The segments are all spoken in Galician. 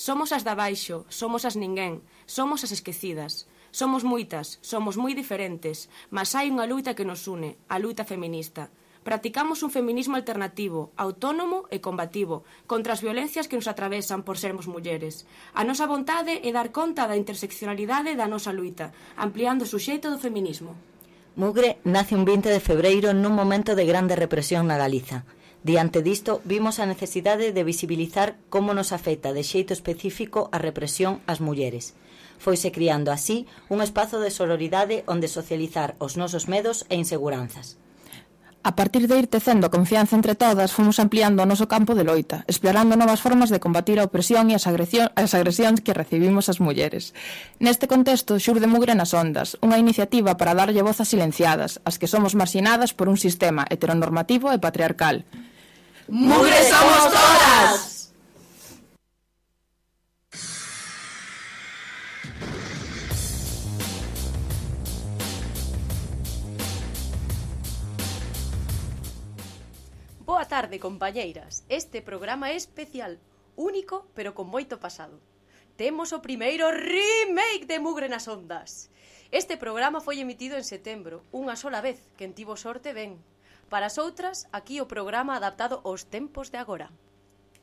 Somos as de abaixo, somos as ninguén, somos as esquecidas. Somos moitas, somos moi diferentes, mas hai unha luita que nos une, a luita feminista. Practicamos un feminismo alternativo, autónomo e combativo, contra as violencias que nos atravesan por sermos mulleres. A nosa vontade é dar conta da interseccionalidade da nosa luita, ampliando o suxeito do feminismo. Mugre nace un 20 de febreiro nun momento de grande represión na Galiza. Diante disto, vimos a necesidade de visibilizar como nos afecta de xeito específico a represión ás mulleres. Foise criando así un espazo de sororidade onde socializar os nosos medos e inseguranzas. A partir de ir tecendo a confianza entre todas, fomos ampliando o noso campo de loita, explorando novas formas de combatir a opresión e as agresións que recibimos as mulleres. Neste contexto, xurde Mugre nas Ondas, unha iniciativa para darlle voz a silenciadas, as que somos marxinadas por un sistema heteronormativo e patriarcal. ¡Mugre somos todas! Boa tarde, compañeiras. Este programa é especial, único, pero con moito pasado. Temos o primeiro remake de Mugre nas Ondas. Este programa foi emitido en setembro, unha sola vez, quen tivo sorte ben. Para as outras, aquí o programa adaptado aos tempos de agora.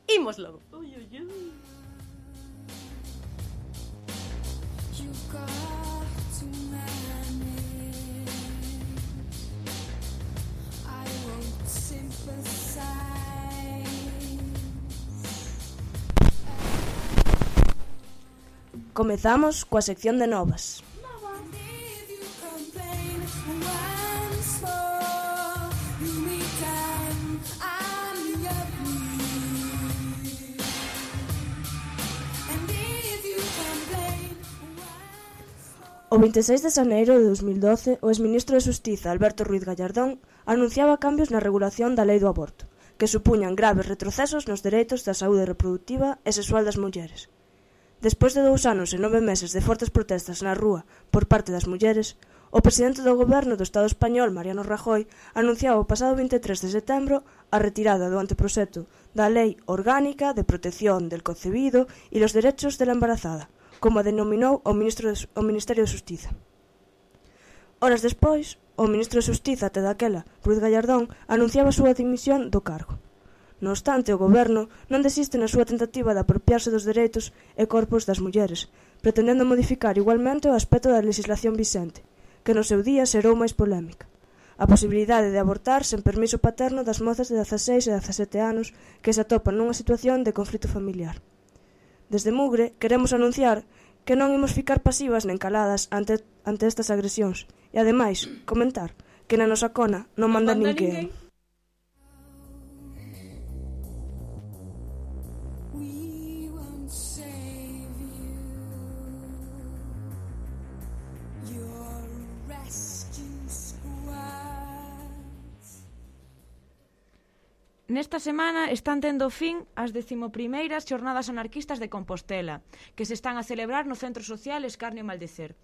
Ímoslo! Ui, ui, ui. Comezamos coa sección de novas. O 26 de xaneiro de 2012, o exministro de Xustiza, Alberto Ruiz Gallardón, anunciaba cambios na regulación da lei do aborto, que supuñan graves retrocesos nos dereitos da saúde reproductiva e sexual das mulleres. Despois de 2 anos e 9 meses de fortes protestas na rúa por parte das mulleres, o presidente do goberno do Estado español, Mariano Rajoy, anunciaba o pasado 23 de setembro a retirada do anteproxecto da Lei Orgánica de Protección del Concebido e los Derechos de la Embarazada, como a denominou o Ministerio de Xustiza. Horas despois, o ministro de Xustiza, até daquela, Ruiz Gallardón, anunciaba a súa dimisión do cargo. Non obstante, o goberno non desiste na súa tentativa de apropiarse dos dereitos e corpos das mulleres, pretendendo modificar igualmente o aspecto da legislación vixente, que no seu día xerou máis polémica. A posibilidade de abortar sen permiso paterno das mozas de 16 e 17 anos que se atopan nunha situación de conflito familiar. Desde Mugre queremos anunciar que non imos ficar pasivas nen caladas ante estas agresións e, ademais, comentar que na nosa cona non manda ninguén. Nesta semana están tendo fin as 11ª Xornadas Anarquistas de Compostela, que se están a celebrar no Centro Social Escarnio e Maldecer.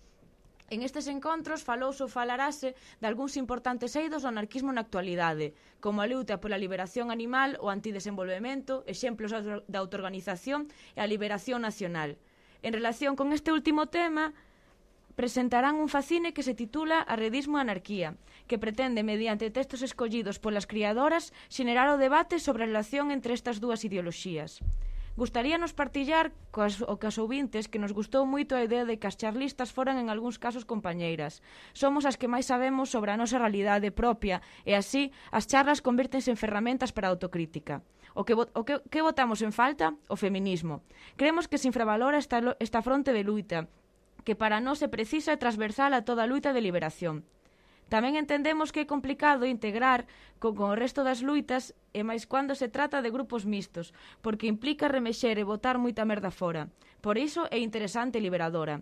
En estes encontros falouse ou falarase de algúns importantes eidos do anarquismo na actualidade, como a luta pola liberación animal, o antidesenvolvemento, exemplos da autoorganización e a liberación nacional. En relación con este último tema, presentarán un facine que se titula Arredismo e Anarquía, que pretende, mediante textos escollidos polas criadoras, xenerar o debate sobre a relación entre estas dúas ideoloxías. Gustaríanos partillar o que as ouvintes que nos gustou moito a idea de que as charlistas foran en algúns casos compañeiras. Somos as que máis sabemos sobre a nosa realidade propia e así as charlas convértense en ferramentas para a autocrítica. O que votamos en falta? O feminismo. Creemos que se infravalora esta fronte de luita, que para nós é precisa e transversal a toda a luita de liberación. Tamén entendemos que é complicado integrar con o resto das luitas e máis cando se trata de grupos mixtos, porque implica remexer e botar moita merda fora. Por iso é interesante e liberadora.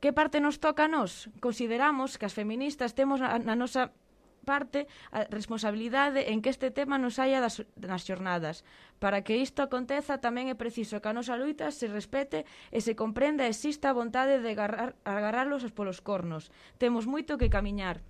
Que parte nos toca a nós? Consideramos que as feministas temos na nosa parte a responsabilidade en que este tema nos saia nas xornadas. Para que isto aconteza tamén é preciso que a nosa luita se respete e se comprenda e exista a vontade de agarrarlos polos cornos. Temos moito que camiñar.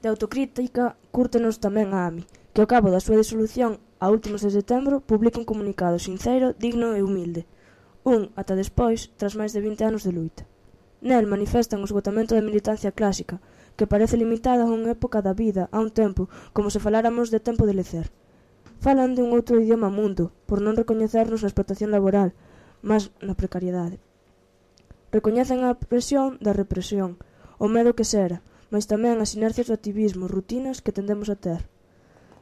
De autocrítica, cúrtenos tamén a AMI, que ao cabo da súa disolución, a últimos de setembro, publica un comunicado sincero, digno e humilde. Ata despois, tras máis de 20 anos de luita. Nel manifestan o esgotamento da militancia clásica, que parece limitada a unha época da vida, a un tempo, como se faláramos de tempo de lecer. Falan de un outro idioma mundo, por non recoñecernos na explotación laboral, mas na precariedade. Recoñecen a presión da represión, o medo que sera, mas tamén as inercias do activismo, rutinas que tendemos a ter.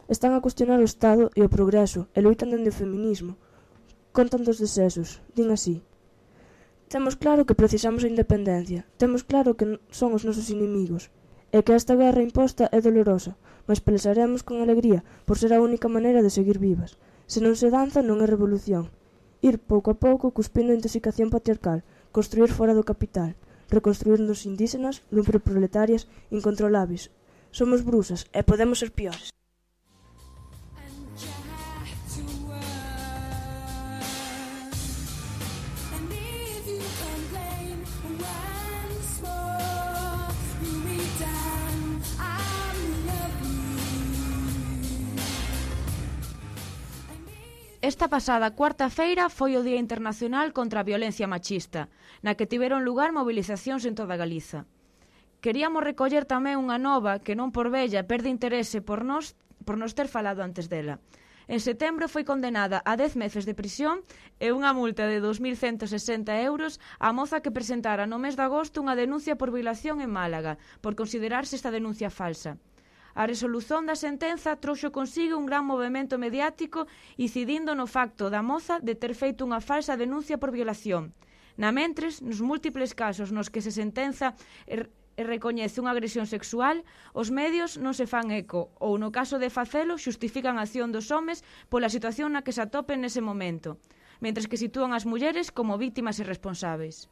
Están a cuestionar o Estado e o progreso e loitan dende o feminismo. Contan dos desesos, din así. Temos claro que precisamos a independencia, temos claro que son os nosos inimigos, e que esta guerra imposta é dolorosa, mas pelexaremos con alegría por ser a única maneira de seguir vivas. Se non se danza non é revolución. Ir pouco a pouco cuspindo a intoxicación patriarcal, construir fora do capital, reconstruirnos indígenas, lumpreproletarias, incontrolables. Somos brusas e podemos ser piores. Esta pasada cuarta-feira foi o Día Internacional contra a Violencia Machista, na que tiveron lugar mobilizacións en toda Galiza. Queríamos recoller tamén unha nova que non por bella perde interese por nos ter falado antes dela. En setembro foi condenada a 10 meses de prisión e unha multa de 2.160 euros a moza que presentara no mes de agosto unha denuncia por violación en Málaga, por considerarse esta denuncia falsa. A resolución da sentenza trouxo consigo un gran movemento mediático incidindo no facto da moza de ter feito unha falsa denuncia por violación. Namentres, nos múltiples casos nos que se sentenza e recoñece unha agresión sexual, os medios non se fan eco ou, no caso de facelo, xustifican a acción dos homes pola situación na que se atopen nese momento, mentres que sitúan as mulleres como vítimas e responsáveis.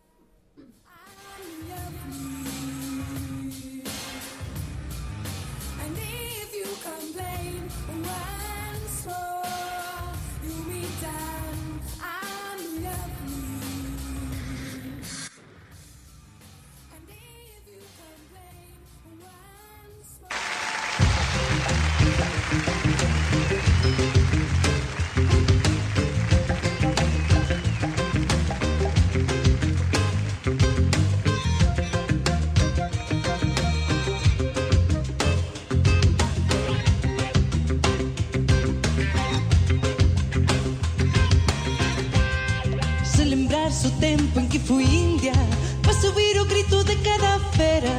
O tempo en que fui india, para subir o grito de cada fera.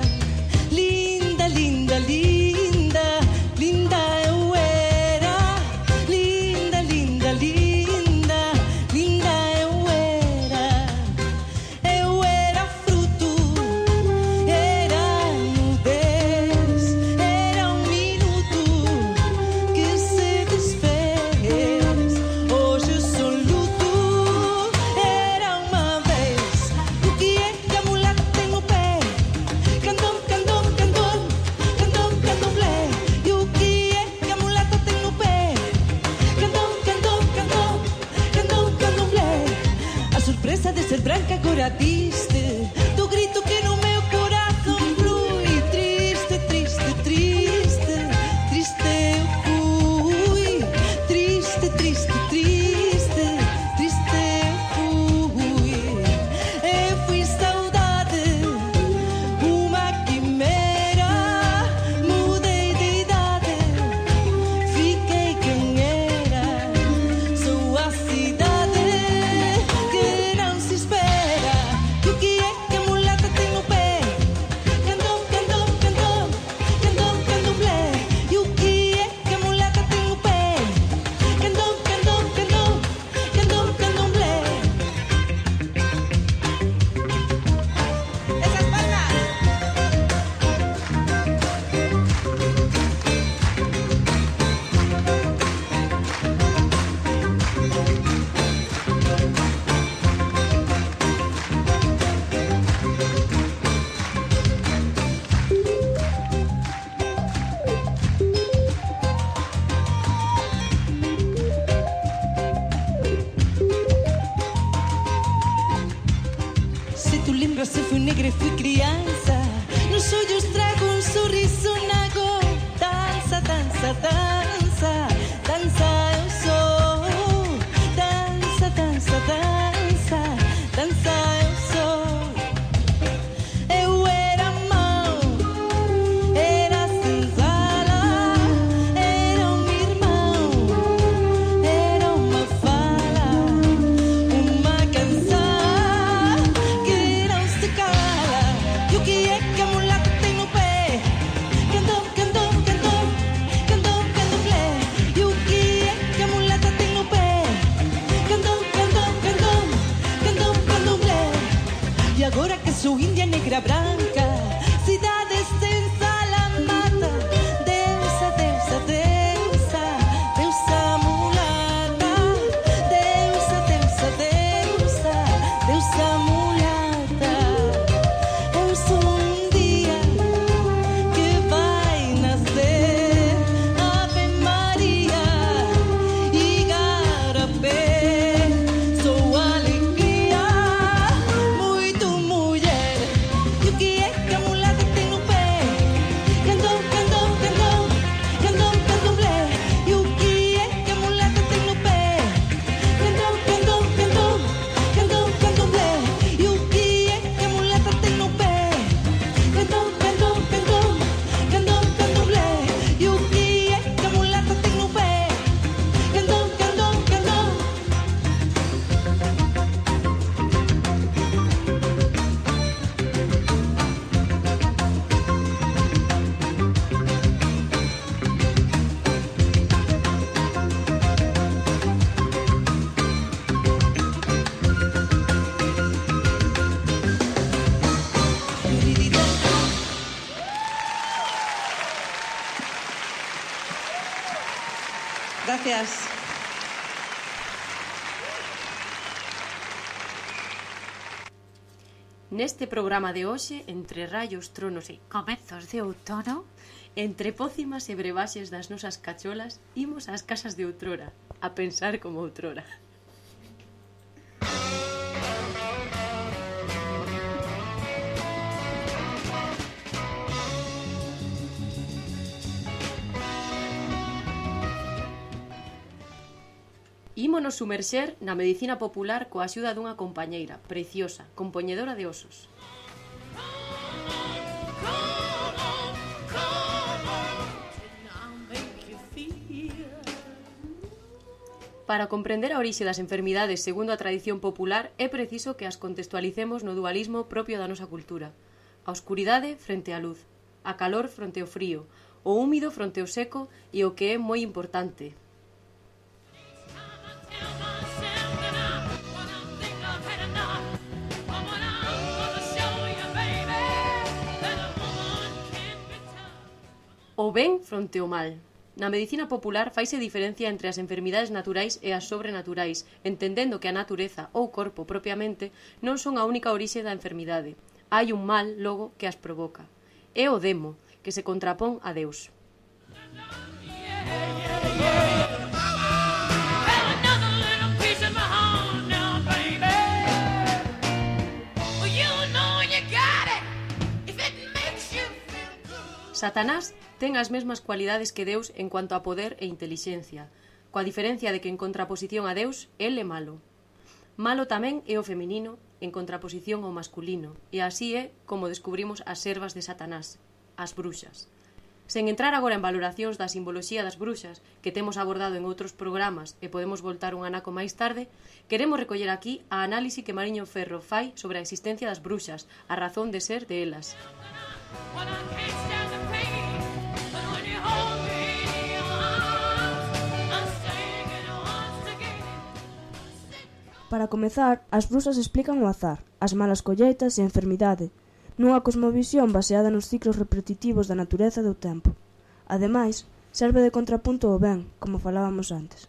Linda, linda, linda, linda eu era. Linda, linda, linda, linda eu era. Eu era fruto, era nudez, era um minuto que se desfez. Hoje sou luto. De ser branca agora diste do grito que no meu coração flui. Triste, triste, triste, triste eu fui. Triste, triste, triste, triste eu fui. Eu fui saudade, uma quimera. Mudei de idade, fiquei quem era. Sou a cidade se fui negra e fui criança. Nos olhos trago um sorriso na gola. danza, danza, danza eu sou. Danza, danza, danza, danza eu sou. Eu era mau, era senzala, era irmão, era uma fala, uma canção que não se cala. E o que é que a mulata tem no pé? Cantom, cantom, cantom, cantom, candomblé. E o que é que a mulata tem no pé? Cantom, cantom, cantom, cantom, candomblé. E agora que sou índia negra branca, cidade sem salamata, deusa, deusa, deusa, deusa mulata, deusa, deusa, deusa, deusa mulata. Eu sou dia que vai nascer, Ave Maria Igarapé. Sou alegria, muito mulher. E o que é que a mulata tem no pé? Cantom, cantom, cantom, cantom, candomblé. E o que é que a mulata tem no pé? Cantom, cantom, cantom, cantom, candomblé. E o que é que a mulata tem no pé? Cantom, cantom, cantom, cantom, candomblé. E o que é que a mulata tem no pé? Cantom, cantom, cantom. Gracias. Neste programa de hoxe, entre rayos, tronos e comezos de outono, entre pócimas e brebaxes das nosas cacholas, imos ás casas de outrora, a pensar como outrora. Ímonos sumerxer na medicina popular coa axuda dunha compañeira preciosa, compoñedora de osos. Para comprender a orixe das enfermidades segundo a tradición popular é preciso que as contextualicemos no dualismo propio da nosa cultura. A oscuridade frente á luz, a calor fronte ao frío, o húmido fronte ao seco e o que é moi importante, o ben fronte ao mal. Na medicina popular faise diferencia entre as enfermidades naturais e as sobrenaturais, entendendo que a natureza ou corpo propiamente non son a única orixe da enfermidade. Hai un mal, logo, que as provoca. É o demo, que se contrapón a Deus. Satanás ten as mesmas cualidades que Deus en cuanto a poder e intelixencia, coa diferencia de que en contraposición a Deus, el é malo. Malo tamén é o feminino en contraposición ao masculino, e así é como descubrimos as servas de Satanás, as bruxas. Sen entrar agora en valoracións da simboloxía das bruxas, que temos abordado en outros programas e podemos voltar un anaco máis tarde, queremos recoller aquí a análise que Mariño Ferro fai sobre a existencia das bruxas, a razón de ser de elas. Para comezar, as brusas explican o azar, as malas colleitas e a enfermidade, nunha cosmovisión baseada nos ciclos repetitivos da natureza e do tempo. Ademais, serve de contrapunto ao ben, como falábamos antes.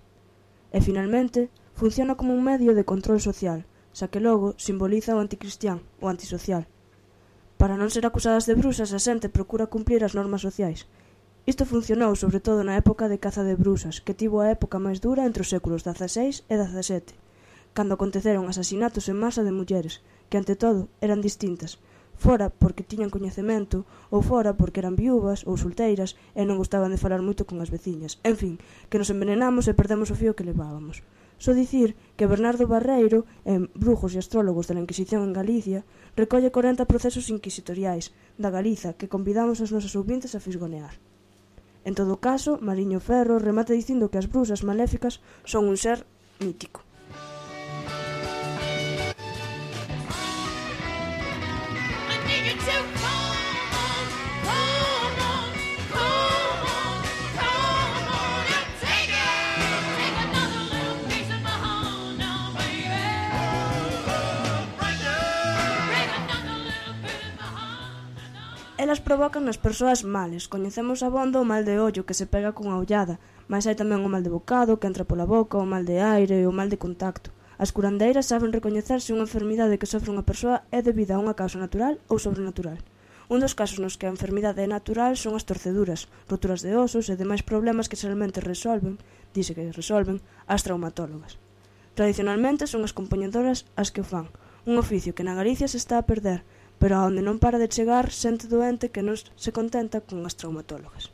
E, finalmente, funciona como un medio de control social, xa que logo simboliza o anticristián, o antisocial. Para non ser acusadas de brusas, a xente procura cumplir as normas sociais. Isto funcionou sobre todo na época de caza de brusas, que tivo a época máis dura entre os séculos XVI e XVII, cando aconteceron asasinatos en masa de mulleres, que ante todo eran distintas, fora porque tiñan coñecemento, ou fora porque eran viúvas ou solteiras e non gostaban de falar moito con as veciñas. En fin, que nos envenenamos e perdemos o fío que levábamos. Só dicir que Bernardo Barreiro, en Brujos e Astrólogos da Inquisición en Galicia, recolle 40 procesos inquisitoriais da Galiza que convidamos aos nosos ouvintes a fisgonear. En todo caso, Mariño Ferro remata dicindo que as brusas maléficas son un ser mítico. Elas provocan nas persoas males. Coñecemos abondo o mal de ollo que se pega cunha ollada, mas hai tamén o mal de bocado que entra pola boca, o mal de aire e o mal de contacto. As curandeiras saben recoñecer se unha enfermidade que sofre unha persoa é debida a unha causa natural ou sobrenatural. Un dos casos nos que a enfermidade é natural son as torceduras, roturas de osos e demais problemas que xeralmente dice que resolven, as traumatólogas. Tradicionalmente son as compañedoras as que o fan, un oficio que na Galicia se está a perder, pero aonde non para de chegar xente doente que non se contenta con as traumatólogas.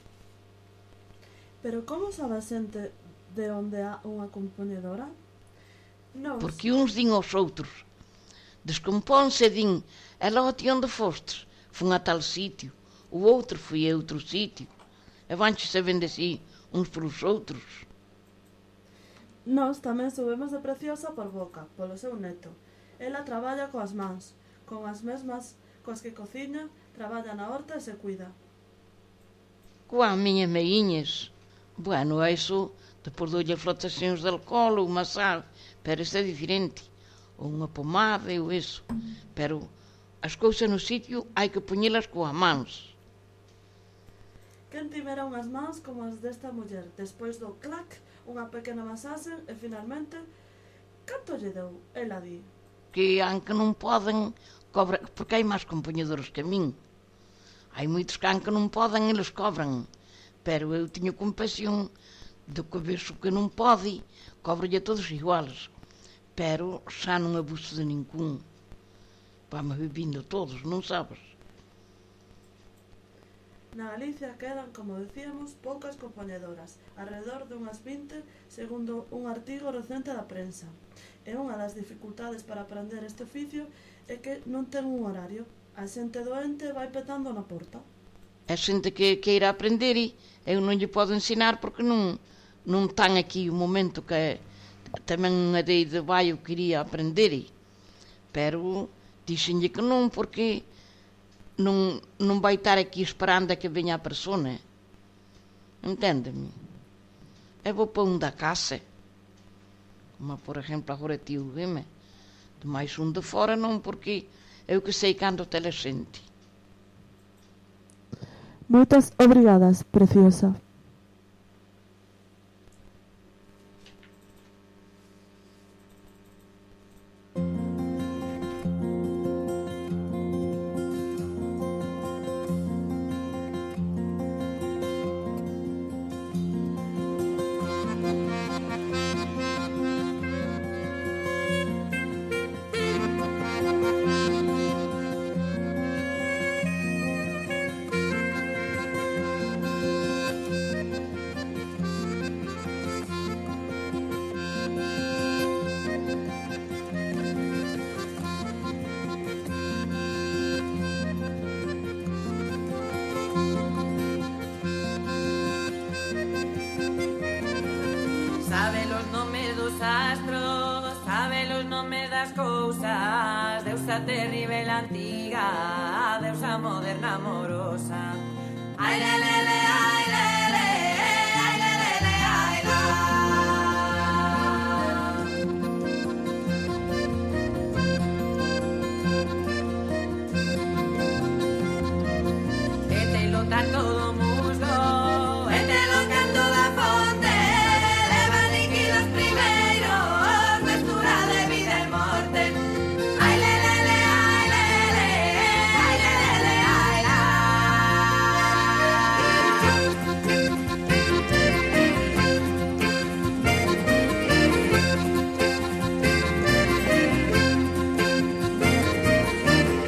Pero como sabe a xente de onde há unha compoñedora? Porque uns din aos outros, descompónse e din, e logo ti onde fostes? Fun a tal sitio, o outro foi a outro sitio, e vanche sabendo así uns polos outros. Nós tamén subimos de Preciosa por boca, polo seu neto. Ela traballa coas mans, con as mesmas coas que cociña, traballa na horta e se cuida. Coa miñas meiñas, bueno, a iso, depois doulle flotacións de alcohol ou masal, pero isto é diferente, ou unha pomada ou iso, pero as cousas no sitio hai que poñelas coas mans. Quen tivera unhas mans como as desta muller, despois do clac, unha pequena masaxe e finalmente, canto lle deu? Ela di que aunque non poden cobrar, porque hai máis compoñedores que a min. Hai moitos que aunque non poden, eles cobran. Pero eu teño compasión do que vexo que non pode, cobro-lle a todos iguales. Pero xa non abuso de ningún. Vamos vivindo todos, non sabes? Na Galicia quedan, como decíamos, poucas compoñedoras, alrededor de unhas 20, segundo un artigo recente da prensa. E unha das dificultades para aprender este oficio é que non ten un horario. A xente doente vai petando na porta. A xente que queira aprender, eu non lle podo ensinar porque non tan aquí o momento que tamén unha de vai eu quería aprender. Pero dixenlle que non porque non vai estar aquí esperando a que veña a persona. Enténdeme? Eu vou para un da casa. Como, por exemplo, agora tío Guime. De máis un de fora non, porque eu que sei cando tele xente. Moitas obrigadas, Preciosa. Sabe los nomes dos astros, sabe los nomes das cousas, deusa terrible antiga, deusa moderna amorosa. Ai lelele, ai lele, ai lelele, ai la. E te lo tanto do musgo, e te lo canto da fonte, leva líquidos primeiros, mestura de vida e morte. Ai lelele, ai lele, ai lelele, ai la.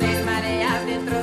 Desmareas dentro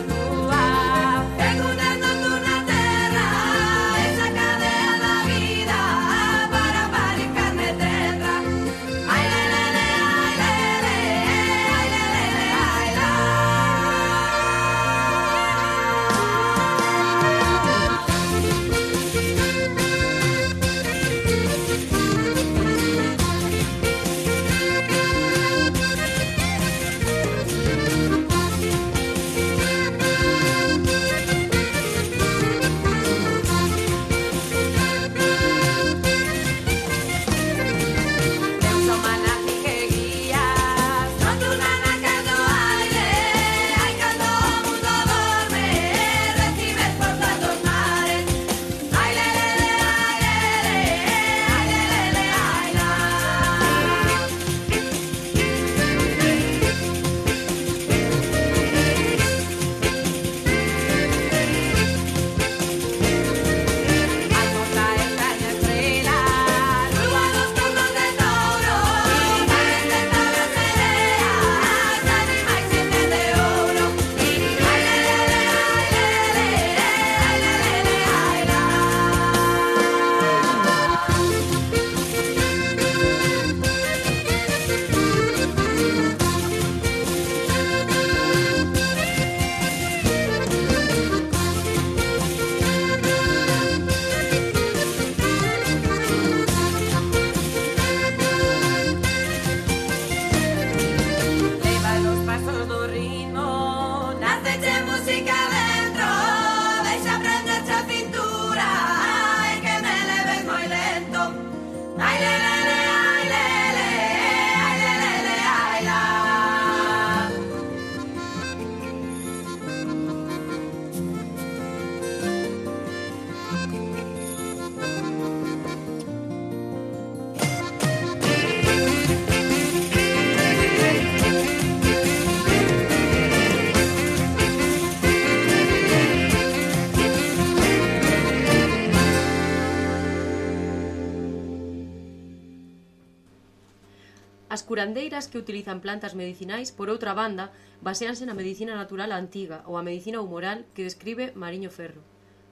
curandeiras que utilizan plantas medicinais, por outra banda, baseanse na medicina natural antiga ou a medicina humoral que describe Mariño Ferro.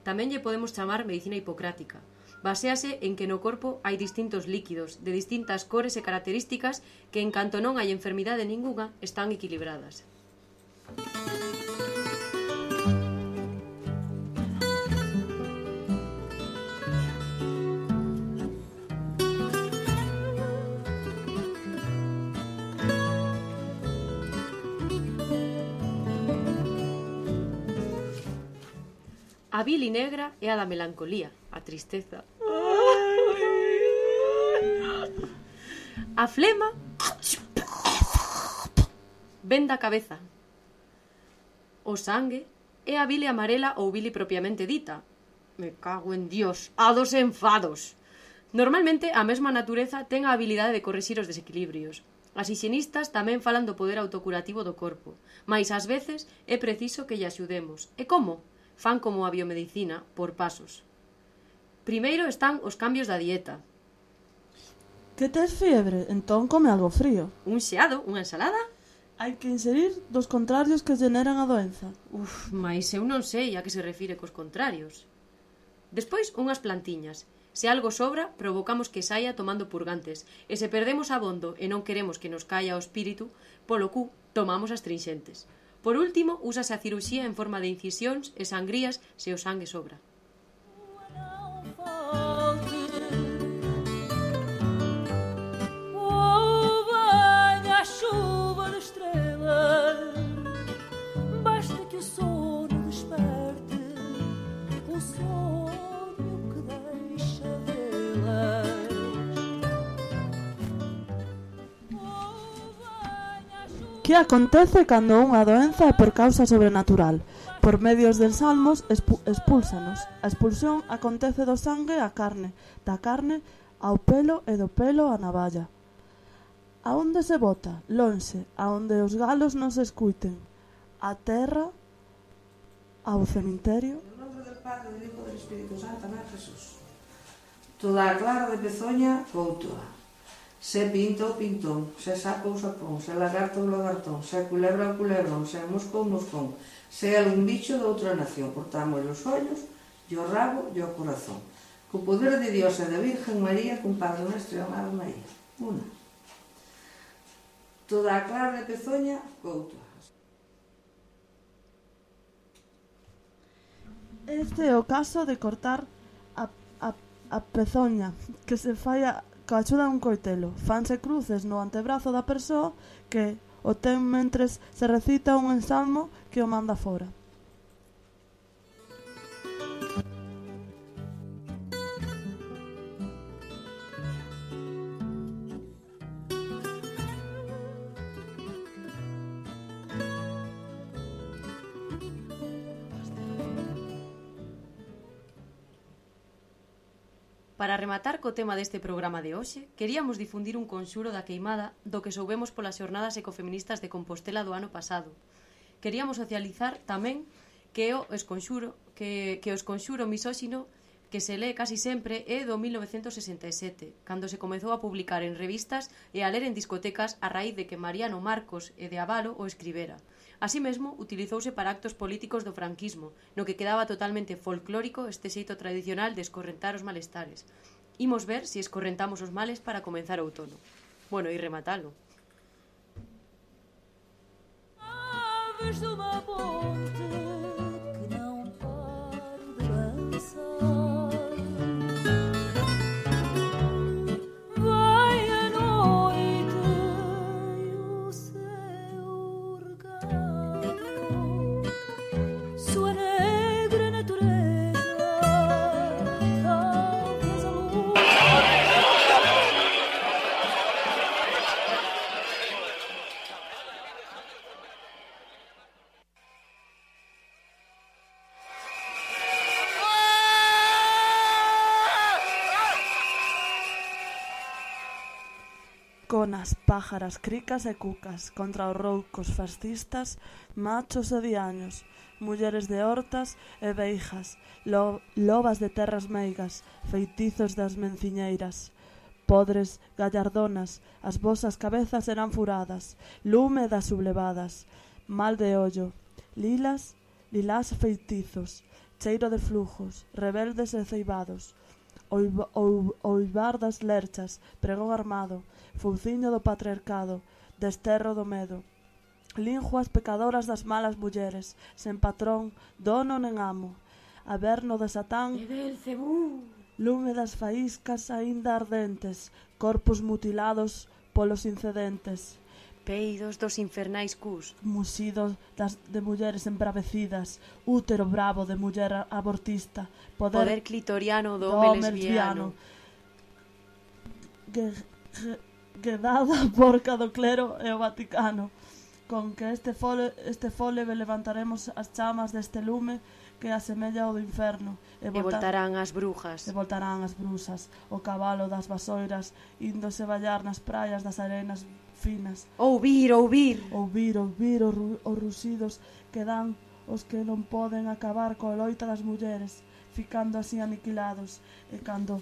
Tamén lle podemos chamar medicina hipocrática. Basease en que no corpo hai distintos líquidos, de distintas cores e características que, en canto non hai enfermidade ningunha, están equilibradas. A bili negra é a da melancolía, a tristeza. A flema ven da cabeza. O sangue é a bile amarela ou bili propiamente dita. Me cago en Dios, a dos enfados. Normalmente a mesma natureza ten a habilidade de corrixir os desequilibrios. As hixienistas tamén falan do poder autocurativo do corpo, mais ás veces é preciso que lle axudemos. E como? Fan como a biomedicina, por pasos. Primeiro están os cambios da dieta. Que tes fiebre? Entón come algo frío. Un xeado, unha ensalada? Hai que inserir dos contrarios que generan a doenza. Mais eu non sei a que se refire cos contrarios. Despois, unhas plantiñas. Se algo sobra, provocamos que saia tomando purgantes. E se perdemos abondo e non queremos que nos caia o espírito, polo cu, tomamos astringentes. Por último, úsase a ciruxía en forma de incisións e sangrías se o sangue sobra. Que acontece cando unha doenza é por causa sobrenatural? Por medios dos salmos expúlsanos. A expulsión acontece do sangue á carne, da carne ao pelo e do pelo á navalla. A onde se bota? Lonxe, a onde os galos non se escuiten. A terra, ao cemiterio. En nombre del Padre, del Hijo e del Espíritu Santo, amén, Jesús. Toda a clara de Pezoña, coutoa. Se pinto o pintón, se sapo o sapón, se lagarto o lagartón, se culebra o culebrón, se mosco o moscón, se algún bicho de outra nación, cortamos os ollos, e o rabo e o corazón. Co poder de Dios e da Virgen María, con Padre Nuestro e Amado María. Una. Toda a clara de Pezoña, coutoa. Este é o caso de cortar a pezoña, que se fai coa axuda dun coitelo. Fanse cruces no antebrazo da persoa que o ten mentres se recita un ensalmo que o manda fora. Para rematar co tema deste programa de hoxe, queríamos difundir un conxuro da queimada do que soubemos polas xornadas ecofeministas de Compostela do ano pasado. Queríamos socializar tamén que o esconxuro misóxino que se lee casi sempre é do 1967, cando se comezou a publicar en revistas e a ler en discotecas a raíz de que Mariano Marcos e de Avalo o escribera. Así mesmo, utilizouse para actos políticos do franquismo, no que quedaba totalmente folclórico este xeito tradicional de escorrentar os malestares. Imos ver se escorrentamos os males para comenzar o outono. Bueno, e rematalo. Aves de uma ponte que não paro de dançar. Vai a noite e o céu regado, sua negra natureza, talvez a lua. Conas, pájaras, cricas e cucas contra os roucos fascistas, machos e diaños, mulleres de hortas e beijas, lobas de terras meigas, feitizos das menciñeiras, podres gallardonas, as vosas cabezas serán furadas, lume das sublevadas, mal de ollo, lilás feitizos, cheiro de flujos, rebeldes e ceibados, oivar das lerchas, pregón armado, fouciño do patriarcado, desterro do medo, linguas pecadoras das malas mulleres, sen patrón, dono nen amo, averno de Satán, lume das faíscas aínda ardentes, corpos mutilados polos incedentes, peidos dos infernais cus, musidos de mulleres embravecidas, útero bravo de muller abortista, poder clitoriano do home lesbiano, guedada porca do clero e o Vaticano, con que este fole levantaremos as chamas deste lume que asemella ao do inferno, e voltarán as brujas, o cabalo das vasoiras, índose ballar nas praias das arenas finas. Ouvir os ruxidos que dan os que non poden acabar coa loita das mulleres, ficando así aniquilados, e cando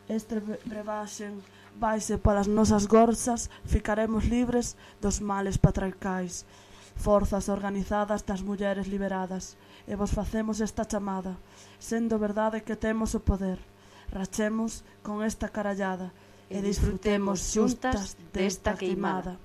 este brebaxen vaise para as nosas gorzas, ficaremos libres dos males patriarcais, forzas organizadas das mulleres liberadas, e vos facemos esta chamada, sendo verdade que temos o poder, rachemos con esta carallada, e disfrutemos xuntas desta queimada.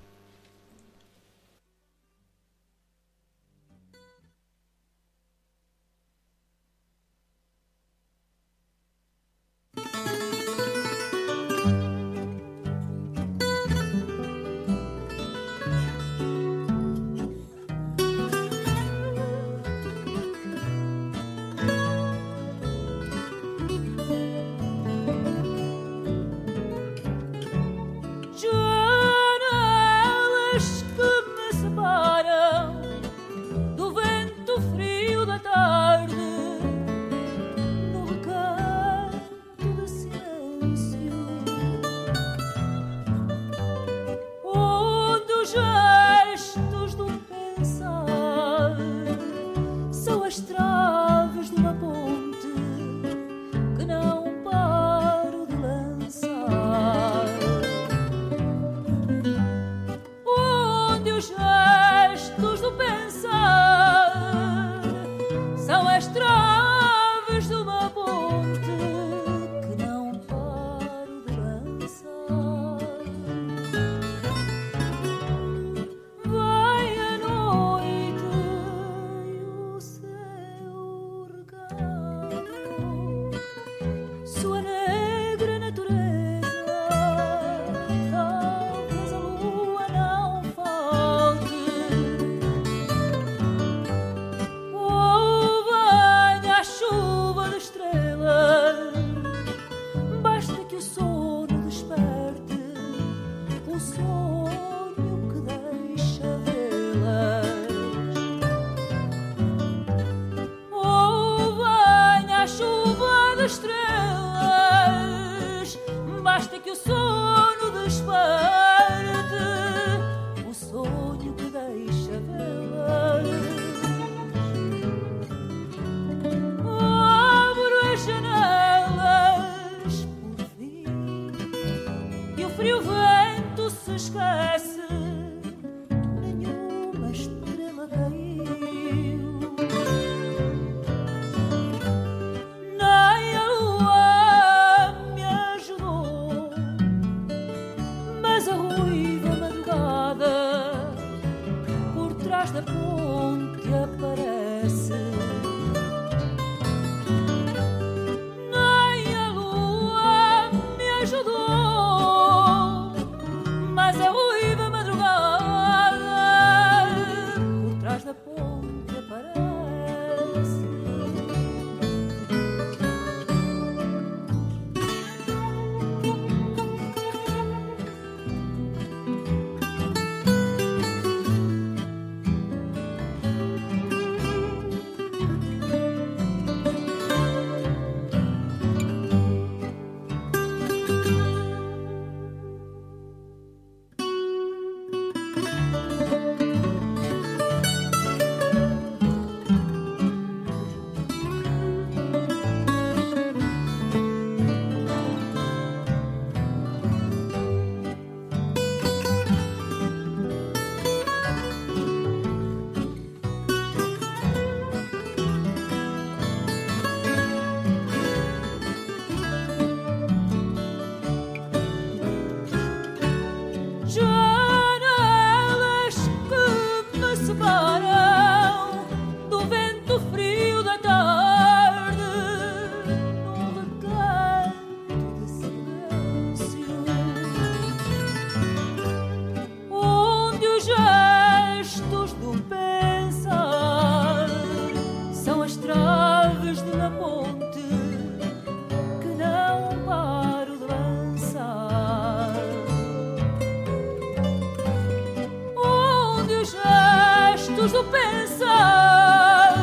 pensar.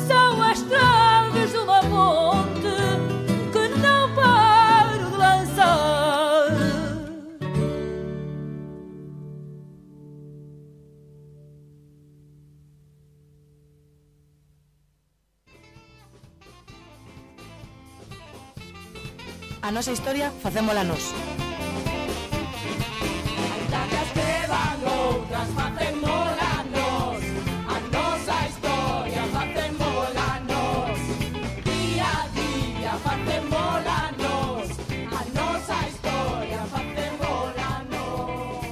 São as traves de uma ponte que não paro de lançar. A nosa historia facémola nós. As que van outras facémola nós. A nosa historia facémola nós. Día a día facémola nós. A nosa historia facémola nós.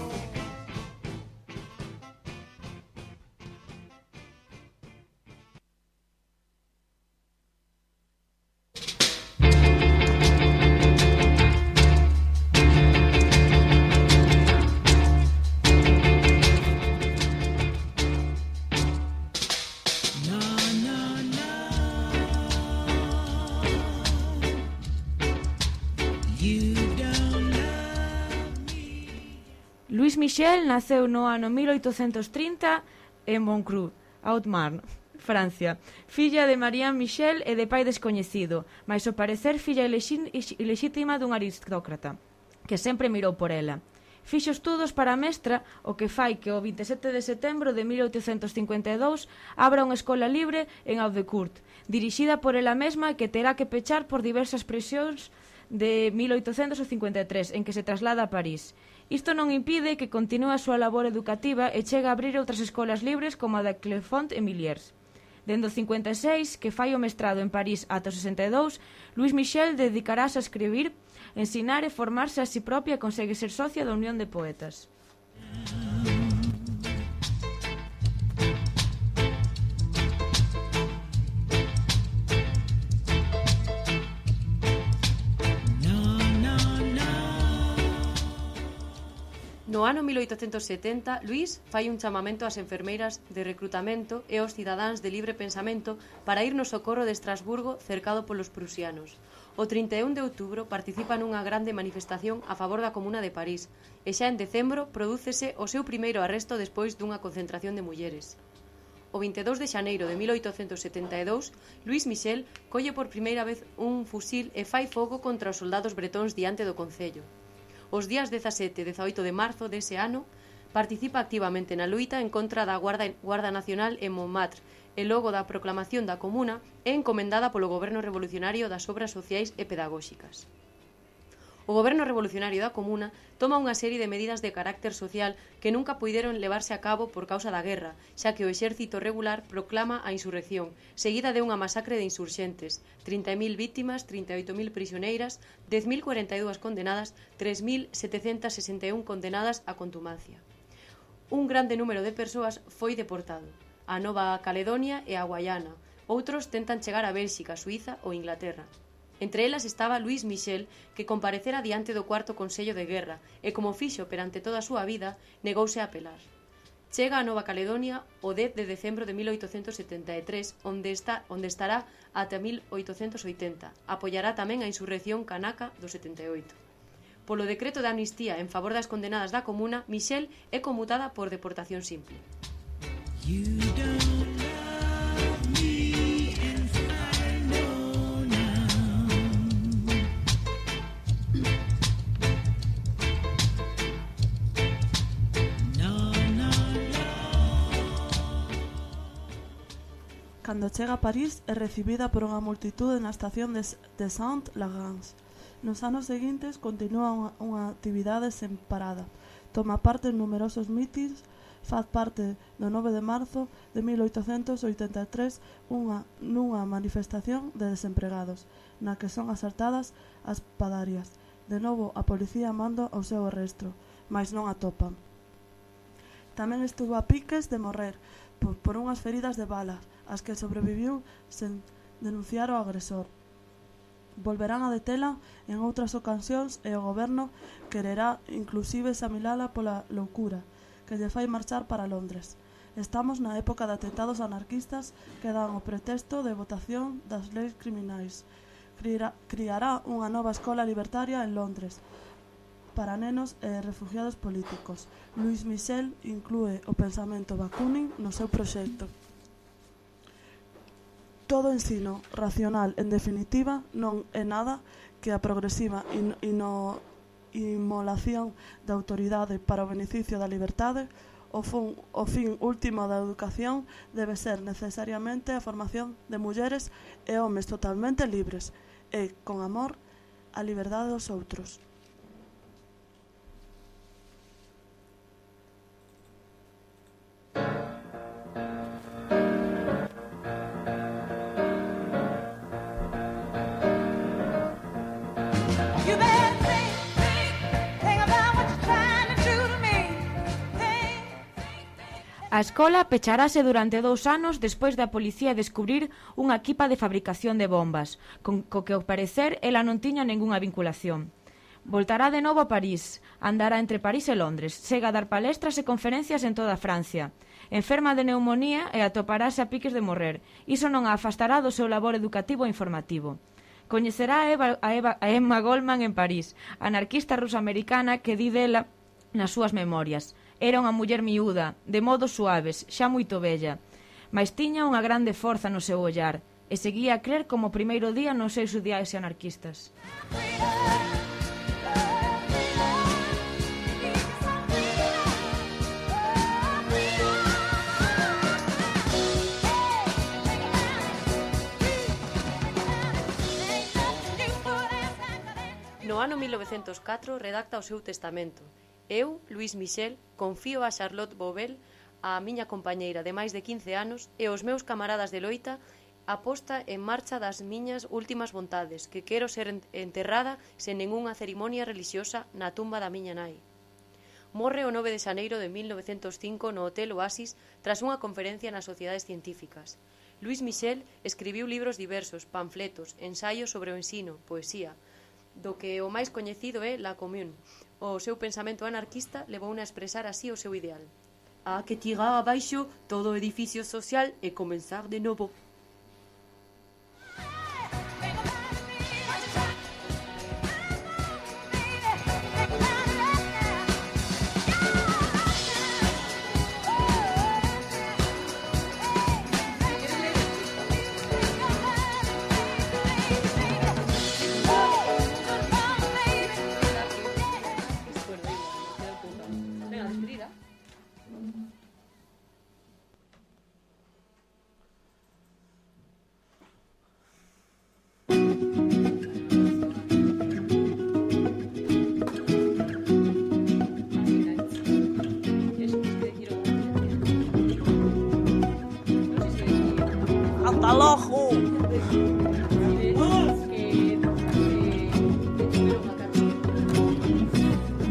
Louis Michel naceu no ano 1830 en Moncrux, Haute-Marne, Francia. Filla de Marianne Michel e de pai descoñecido, mais ao parecer filla ilexítima dun aristócrata, que sempre mirou por ela. Fixo estudos para mestra, o que fai que o 27 de setembro de 1852 abra unha escola libre en Audecourt, dirixida por ela mesma e que terá que pechar por diversas presións de 1853, en que se traslada a París. Isto non impide que continúe a súa labor educativa e chega a abrir outras escolas libres como a de Clermont e Milliers. Dende o 56, que fai o mestrado en París ata o 62, Louis Michel dedicarase a escribir, ensinar e formarse a si propia e consegue ser socia da Unión de Poetas. No ano 1870, Luís fai un chamamento ás enfermeiras de recrutamento e aos cidadáns de libre pensamento para ir no socorro de Estrasburgo cercado polos prusianos. O 31 de outubro participa nunha grande manifestación a favor da Comuna de París e xa en decembro prodúcese o seu primeiro arresto despois dunha concentración de mulleres. O 22 de xaneiro de 1872, Louis Michel colle por primeira vez un fusil e fai fogo contra os soldados bretóns diante do concello. Os días 17 e 18 de marzo dese ano, participa activamente na loita en contra da Guarda Nacional en Montmartre e logo da proclamación da Comuna é encomendada polo Goberno Revolucionario das Obras Sociais e Pedagóxicas. O Goberno Revolucionario da Comuna toma unha serie de medidas de carácter social que nunca puideron levarse a cabo por causa da guerra, xa que o exército regular proclama a insurrección, seguida de unha masacre de insurxentes, 30.000 vítimas, 38.000 prisioneiras, 10.042 condenadas, 3.761 condenadas a contumacia. Un grande número de persoas foi deportado a Nova Caledonia e a Guayana. Outros tentan chegar a Bélxica, Suíza ou Inglaterra. Entre elas estaba Louis Michel, que comparecera diante do cuarto Consello de Guerra e, como fixo perante toda a súa vida, negouse a apelar. Chega a Nova Caledonia o 10 de decembro de 1873, onde estará ata 1880. Apoiará tamén a insurrección canaca do 78. Polo decreto de amnistía en favor das condenadas da Comuna, Michel é conmutada por deportación simple. Cando chega a París é recibida por unha multitude na estación de Saint-Lagrange. Nos anos seguintes continúa unha actividade sen parada. Toma parte en numerosos mítins, faz parte do 9 de marzo de 1883 nunha manifestación de desempregados, na que son asaltadas as padarias. De novo a policía manda ao seu arresto, mais non a topan. Tamén estuvo a piques de morrer por unhas feridas de balas, as que sobreviviu sen denunciar o agresor. Volverán a detela en outras ocasións e o goberno quererá inclusive examinala pola loucura que lle fai marchar para Londres. Estamos na época de atentados anarquistas que dan o pretexto de votación das leis criminais. Criará unha nova escola libertaria en Londres para nenos e refugiados políticos. Louis Michel inclúe o pensamento Bakunin no seu proxecto. Todo ensino racional, en definitiva, non é nada que a progresiva inmolación da autoridade para o beneficio da liberdade. O fin último da educación debe ser necesariamente a formación de mulleres e homes totalmente libres e, con amor, a liberdade dos outros. A escola pecharase durante 2 anos despois da policía descubrir unha equipa de fabricación de bombas, co que ao parecer ela non tiña ningunha vinculación. Voltará de novo a París, andará entre París e Londres, chega a dar palestras e conferencias en toda Francia. Enferma de neumonía e atoparase a piques de morrer. Iso non a afastará do seu labor educativo e informativo. Coñecerá a Emma Goldman en París, anarquista ruso-americana que di dela nas súas memorias. Era unha muller miúda, de modos suaves, xa moito vella, mais tiña unha grande forza no seu ollar e seguía a crer como o primeiro día nos seus ideais anarquistas. No ano 1904 redacta o seu testamento. Eu, Louis Michel, confío a Charlotte Bobel, a miña compañeira de máis de 15 anos, e os meus camaradas de loita, a posta en marcha das miñas últimas vontades, que quero ser enterrada sen ningunha cerimonia religiosa na tumba da miña nai. Morre o 9 de xaneiro de 1905 no Hotel Oasis tras unha conferencia nas sociedades científicas. Louis Michel escribiu libros diversos, panfletos, ensaios sobre o ensino, poesía, do que o máis coñecido é La Commune. O seu pensamento anarquista levouna a expresar así o seu ideal. Há que tirar abaixo todo o edificio social e comenzar de novo.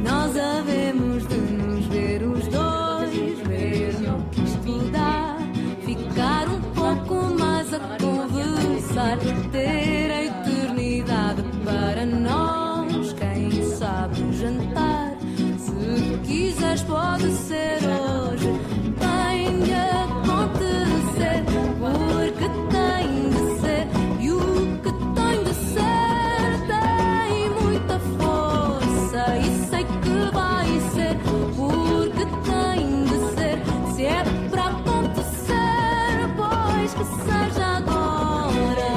Nós havemos de nos ver os dois, ver no que isto dá, ficar um pouco mais a conversar, ter a eternidade para nós. Quem sabe jantar, se quiseres pode ser hoje. Tem de acontecer, porque tem de ser, e o que tem de ser tem muita força, e sei que vai ser, porque tem de ser. Se é para acontecer, pois que seja agora.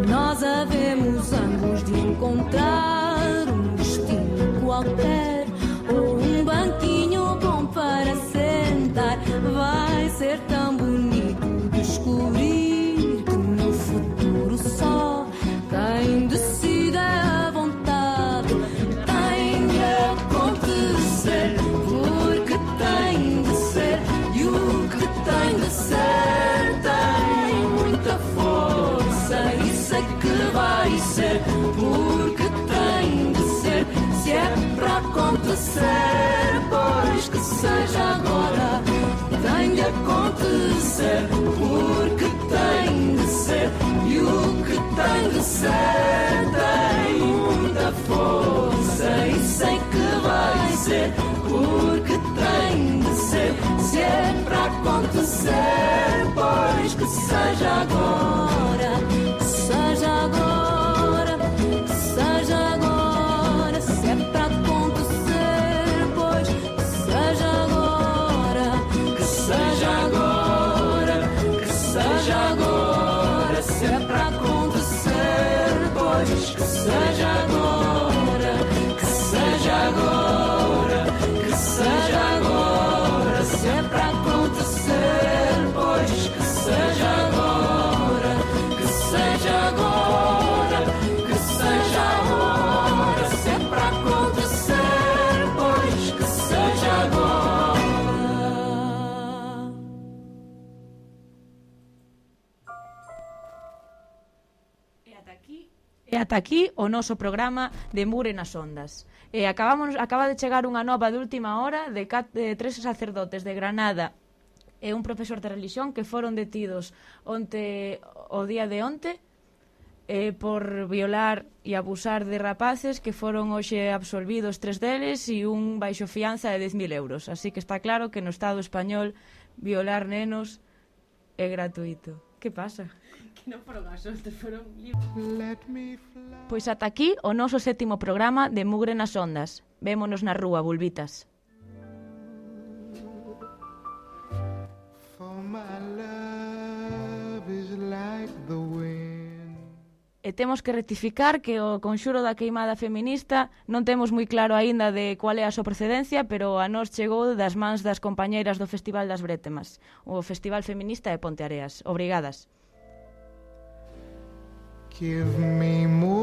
Nós havemos ambos de encontrar um destino qualquer, ou um banquinho bom para sentar. Vai ser tão bonito descobrir que no futuro só quem decide é a vontade. Tem de acontecer, porque tem de ser, e o que tem de ser tem muita força, e sei que vai ser, porque tem de ser. Se é para acontecer, pois que seja agora. Tem de acontecer, porque tem de ser, e o que tem de ser acontecer tem muita força e sei que vai ser, porque tem de ser. Se é para acontecer, pois que seja agora, que seja agora, que seja agora. Se é para acontecer, pois que seja agora, que seja agora, que seja agora. Se é para acontecer, pois que seja agora, que seja agora, que seja agora. Se é para acontecer, pois que seja agora, que seja agora, que seja agora. Se é para acontecer, pois que seja agora. E ata aquí o noso programa de Mugre nas Ondas. Acaba de chegar unha nova de última hora de 3 sacerdotes de Granada e un profesor de religión que foron detidos o día de onte por violar e abusar de rapaces, que foron hoxe absolvidos 3 deles e un baixo fianza de 10.000 euros. Así que está claro que no Estado español violar nenos é gratuito. Que pasa? Que non foron a sorte, foron... Pois ata aquí o noso 7º programa de Mugre nas Ondas. Vémonos na rúa, bulbitas. E temos que rectificar que o conxuro da queimada feminista non temos moi claro aínda de cual é a súa procedencia, pero a nós chegou das mans das compañeiras do Festival das Brétemas, o Festival Feminista de Ponteareas. Obrigadas. Give me more.